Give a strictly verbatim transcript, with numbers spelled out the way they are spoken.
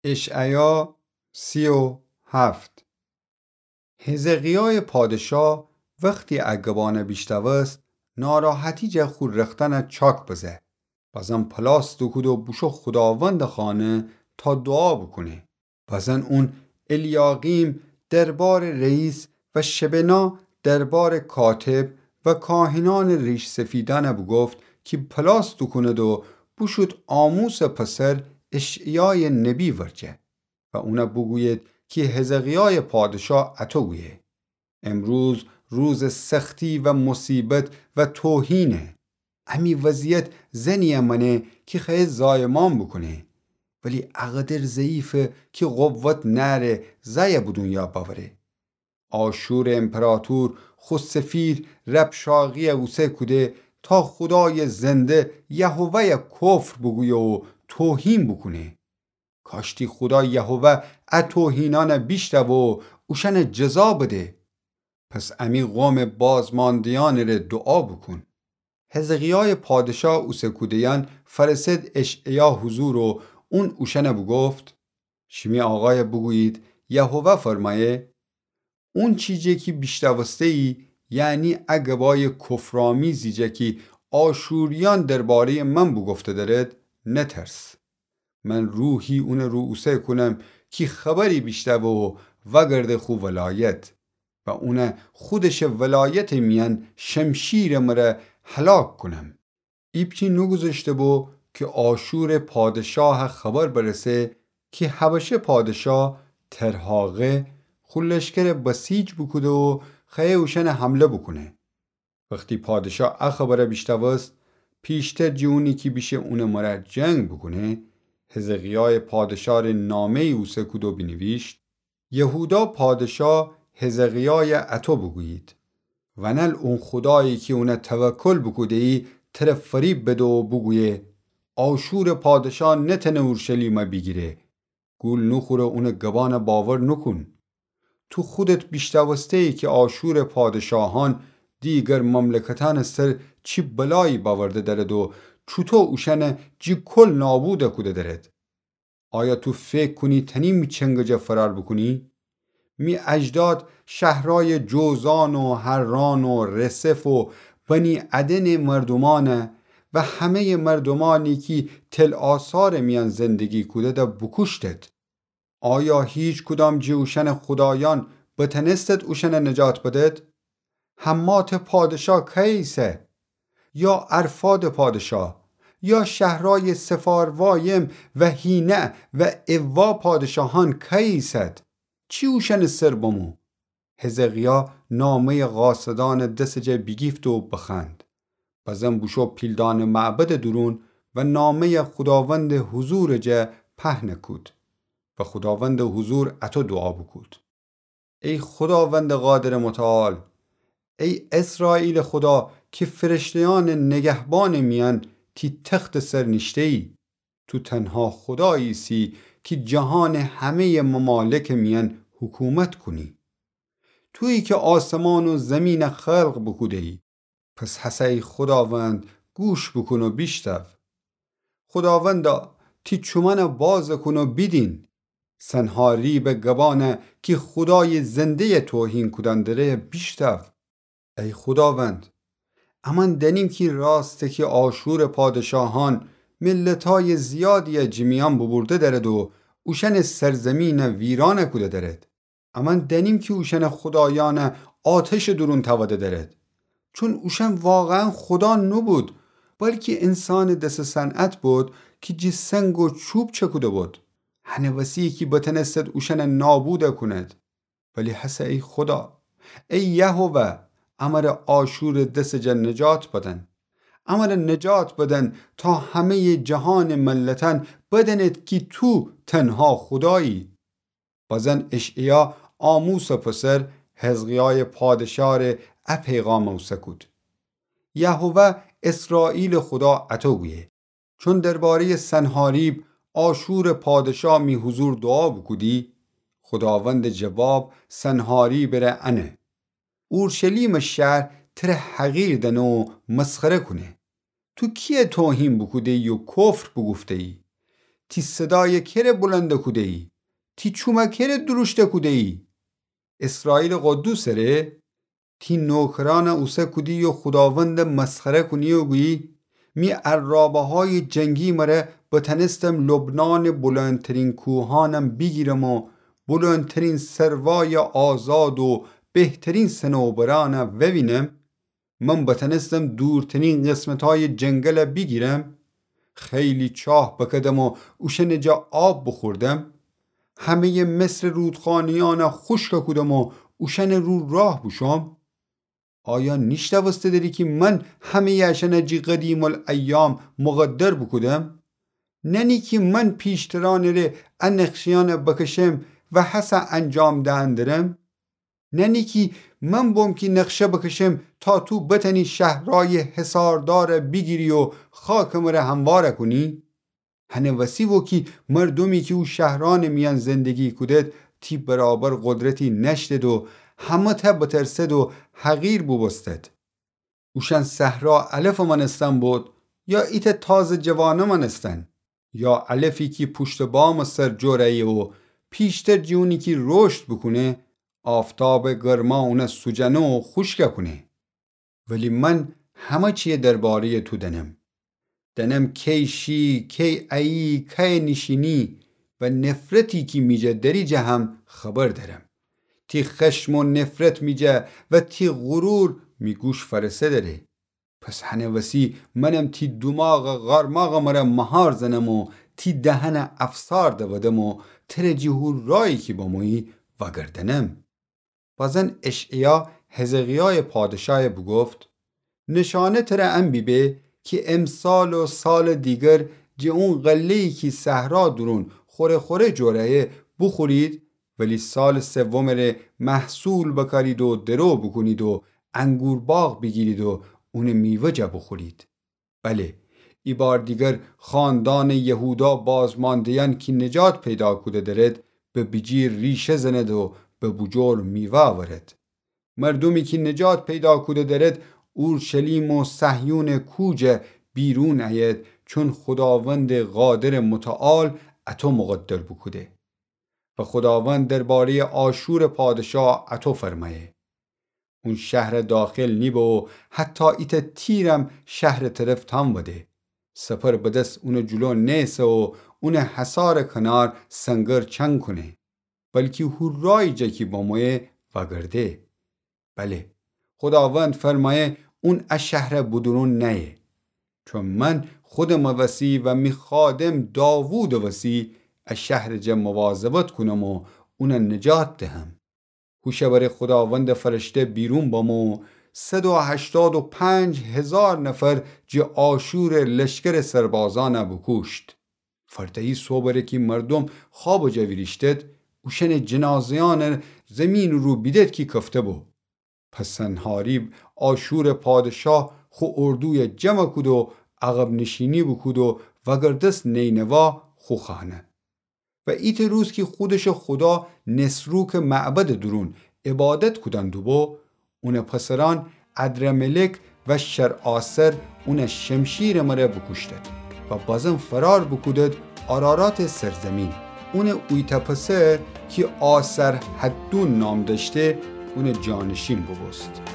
اشعیا سی و هفت. حزقیایٚ پادشا وختی ا گبانه بیشتوست، ناراحتی جه خو رختأنه چاک بزه. بزن پلاس دوکود و بوشو خوداوندٚ خانه تا دوعا بوکونه. بزن اون الیاقیم دربارٚ رئیس و شبنا دربارٚ کاتب و کاهنأنٚ ریش‌سفیدأنه بوگفت کی پلاس دوکوند و بوشود آموسٚ پسر اشعیایٚ نبی ورجه و اونه بوگوید کی حزقیایٚ پادشا اطو گویه: امروز روزٚ سختی و مصیبت و توهینه. امی وضعیت زنیی مأنه کی خوأیه زایمان بوکونه، ولی اقدر ضعیفه کی قوت نأره زأیه به دونیا بأوره. آشورٚ امپراطور خو سفیر ربشاقیی اوسه کوده تا خودایٚ زنده یهوه‌یه کفر بوگویه و توهین بوکونه. کاشتی خودا یهوه ا توهینأنه بیشتوه و اوشأنه جزا بده. پس امی قومٚ بازمانده‌یأنٚ ره دوعا بوکون. حزقیایٚ پادشا اوسه کوده‌یأن فرسد اشعیا حضور و اون اوشأنه بوگفت: شیمی آقایه بوگویید، یهوه فرمأیه: اونچی جه کی بیشتوسته‌یی، یعنی ا گبایٚ کفرآمیزی جه کی آشوریأن درباره‌یٚ من بوگفته دأرد، نترس. من روحی اونٚ رو اوسه کونم کی خبری بیشتوه و وأگرده خو ولایت و اونه خودشٚ ولایتٚ میأن شمشیرٚ مره هلاک کونم. ایپچی نوگوذشته بو کی آشورٚ پادشاه خبر برسه کی حبشه پادشا ترهاقه خو لشکر بسیج بوکوده و خوأیه اوشأنه حمله بوکونه. وختی پادشا ا خبره بیشتوست، پیشتر جٚه اونی کی بیشه اونٚ مره جنگ بوکونه، حزقیایٚ پادشا ره نامه‌یی اوسه کود و بینیویشت: یهودا پادشا حزقیایه اطو بوگویید: ونل اون خودایی کی اونه توکل بوکوده‌یی تره فریب بده و بوگویه: آشورٚ پادشا نتأنه اورشلیمه بیگیره. گول نوخور و اونٚ گبأنه باور نوکون. تو خودت بیشتوسته‌یی کی آشورٚ پادشاهأن دیگر مملکتأنٚ سر چی بلایی بأورده دأرد و چوطو اوشأنه جٚه کل نابود کوده دأرد. آیا تو فکر کونی تأنی می چنگٚ جا فرار بوکونی؟ می اجداد شهرایٚ جوزأن و حران و رسف و بنی عدنٚ مردومأنه و همه‌یٚ مردومأنی کی تل‌آثارٚ میأن زندگی کوده‌ده بوکوشتد. آیا هیچکدام جٚه اوشأنٚ خودایأن بتأنستد اوشأنه نجات بدد؟ حماتٚ پادشا کأیه ایسه؟ یا ارفادٚ پادشا؟ یا شهرایٚ سفاروایم و حینه و عوا پادشاهأن کأیه ایسد؟ چی اوشأنٚ سر بمو؟ حزقیا نامه‌یٚ قاصدأنٚ دسٚ جا بیگیفت و بخوأند. بزن بوشو پیلدانٚ معبدٚ دورون و نامه‌یٚ خوداوندٚ حضورٚ جا پهن کود و خوداوندٚ حضور اطو دوعا بوکود: ای خوداوندٚ قادرٚ متعال، ای اسرائیلٚ خودا کی فرشته‌یأنٚ نگهبانٚ میأن تی تختٚ سر نیشته‌یی، تو تنها خودایی ایسی کی جهانٚ همه‌یٚ ممالکٚ میأن حکومت کونی. تویی کی آسمان و زمینه خلق بوکوده‌یی. پس هسه ای خوداوند، گوش بوکون و بیشتو. خوداوندا، تی چومأنه باز کون و بیدین. سنحاریبٚ گبأنه کی خودایٚ زنده‌یه توهین کودن دره بیشتو. ای خوداوند، امأن دأنیم کی راسته کی آشورٚ پادشاهأن ملتأیٚ زیادی‌یه جٚه میأن بوبورده دأرد و اوشأنٚ سرزمینه ویرانه کوده دأرد. امأن دأنیم کی اوشأنٚ خودایأنه آتشٚ دورون تأوده دأرد. چون اوشأن واقعاً خودا نوبود، بلکی انسانٚ دسٚ صنعت بود کی جٚه سنگ و چوب چکوده بود. هنٚ وسی کی بتأنستد اوشأنه نابود کونید. ولی هسه ای خودا، ای یهوه، امره آشورٚ دسٚ جا نجات بدن. امره نجات بدن تا همه‌یٚ جهانٚ ملتأن بدأنید کی تو تنها خودایی. بزن اشعیا آموسٚ پسر حزقیایٚ پادشا ره ا پیغام اوسه کود: یهوه اسرائیلٚ خودا اطو گویه: چون درباره‌یٚ سنحاریب آشورٚ پادشا می حضور دوعا بوکودی، خوداوندٚ جواب سنحاریبٚ ره انه: اورشلیمٚ شهر تره حقیر دأنه و مسخره کونه. تو کی‌یه توهین بوکوده‌یی و کفر بوگفته‌یی؟ تی صدایَ کره بلند کوده‌یی؟ تی چومَ کره دروشت کوده‌یی؟ اسرائیلٚ قدوسٚ ره؟ تی نوکرأنَ اوسه کودی و خوداوندَ مسخره کونی و گویی: می ارابه‌هایٚ جنگی مره بتأنستم لبنانٚ بلندترین کوهأنم بیگیرم و بلندترین سروایَ آزاد و بهترین صنوبرأنَ ووینم؟ من بتأنستم دورترین قسمتأیٚ جنگلَ بیگیرم؟ خیلی چاه بکدم و اوشأنٚ جا آب بوخوردم؟ همه‌یٚ مصرٚ رودخانه‌یأنَ خوشکَ کودم و اوشأنٚ رو راه بوشوم؟ آیا نیشنوسته دری کی من همه‌یٚ اشأنَ جی قدیم‌الأیام مقدر بوکودم؟ ننی کی من پیشترأنٚ ره ا نقشه‌یأنَ بکشم و هسه انجام دئن درم؟ ننی کی من بوم کی نقشه بکشم تا تو بتأنی شهرأیٚ حصاردارَ بیگیری و خاکٚ مره هموارَ کونی؟ هنٚ وسی بو کی مردومی کی او شهرأنٚ میأن زندگی کودد، تی برابر قدرتی نأشتد و همه‌تأ بترسد و حقیر بوبوستد. اوشأن صحرا علفٚ مأنستن بود، یا ایتأ تازه جوانه مأنستن، یا علفی کی پوشتٚ بامٚ سر جور أیه و پیشتر جٚه اونی کی رشد بوکونه، آفتابٚ گرما اونَ سوجأنه و خوشکَ کونه. ولی من همه چیَ درباره‌یٚ تو دأنم. دأنم کی شی، کی أیی، کی نیشینی و نفرتی کی می جا دری جا هم خبر دأرم. تی خشم و نفرت می جا و تی غرور می گوش فأرسه دره. پس هنٚ وسی منم تی دوماغٚ قارماغٚ مره مهار زنم و تی دهنَ افسار دودم و تره جٚه هو رایی کی بمویی وأگردأنم. بازن اشعیا حزقیایٚ پادشایَ بوگفت: نشانه تره ان بیبه کی امسال و سالٚ دیگر جٚه اون غله‌یی کی صحرا دورون خوره خوره جور أیه بوخورید، ولی سالٚ سومٚ ره محصول بکارید و درو بوکونید و انگورباغ بیگیرید و اونٚ میوه جا بوخورید. بله، ایبار دیگر خاندانٚ یهودا بازمانده‌یأن کی نجات پیدا کوده درد، به بیجیر ریشه زند و به بوجور میوه أورد. مردومی کی نجات پیدا کوده درد، اورشلیم و صهیونٚ کوه جا بیرون أید، چون خوداوندٚ قادرٚ متعال اطو مقدر بوکوده. و خوداوند درباره‌یٚ آشورٚ پادشا اطو فرمأیه: اون شهرَ داخل نیبه و حتی ایتأ تیرم شهرٚ طرف تأنوده. سپر به دس اونٚ جلو نیسه و اونٚ حصارٚ کنار سنگر چنگ کونه، بلکی هو رایی جا کی بمویه وأگرده. بله، خوداوند فرمأیه اون ا شهرَ بودورون نأیه. چون من خودمٚ وسی و می خادم داوودٚ وسی ا شهرٚ جا مواظبت کونم و اونَ نجات دهم. هوشٚ بره خوداوندٚ فرشته بیرون بمو، صد و هشتاد و پنج هزار نفر جٚه آشورٚ لشکرٚ سربازأنَ بوکوشت. فرده‌یی صبحٚ ره کی مردوم خوابٚ جا ویریشتد، اوشأنٚ جنازه‌یأنَ زیمینٚ رو بیدد کی کفته بو. پس سنحاریب آشورٚ پادشا خو اردویَ جمع کود و عقب‌نشینی بوکود و وأگردست نینوا خو خانه. و ایتأ روز کی خودشٚ خودا نسروکٚ معبدٚ دورون عبادت کودن دوبو، اونٚ پسرأن ادرملک و شرآسر اونَ شمشیرٚ مره بوکوشتد و بازم فرار بوکودد آراراتٚ سرزیمین. اونٚ اویتأ پسر کی آسرحدون نام دأشته، اونٚ جانشین بوبوست.